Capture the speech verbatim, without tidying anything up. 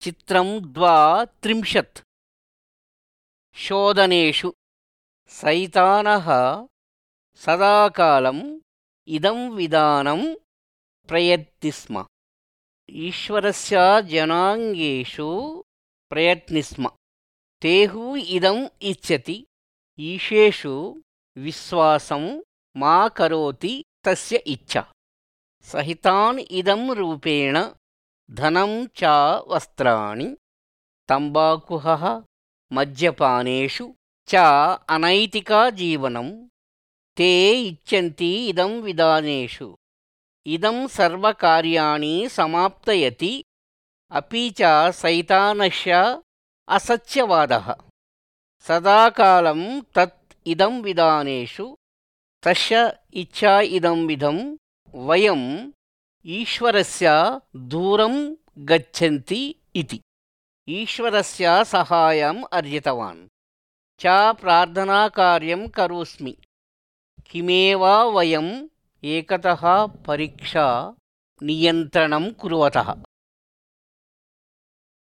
चित्रं द्वा त्रिंशत् शोधनेषु सैतानः सदाकालम् इदं विधानं प्रयति स्म ईश्वरस्य जनाङ्गेषु प्रयत्नि स्म तेहु इदम् इच्छति ईशेषु विश्वासं मा करोति तस्य इच्छा सहितान् इदं रूपेण धनं च वस्त्राणि तम्बाकुः मद्यपानेषु च अनैतिका जीवनं ते इच्छन्ति इदं विधानेषु इदं सर्वकार्याणि समाप्तयति अपि च सैतानस्य असत्यवादः सदाकालं तत् इदं विधानेषु तस्य इच्छा इदं विधं वयम् ईश्वरस्य दूरं गच्छन्ति इति ईश्वरस्य सहायम् अर्जितवान् च प्रार्थनाकार्यं करोस्मि किमेव वयम् एकतः परीक्षा नियन्त्रणं कुर्वतः।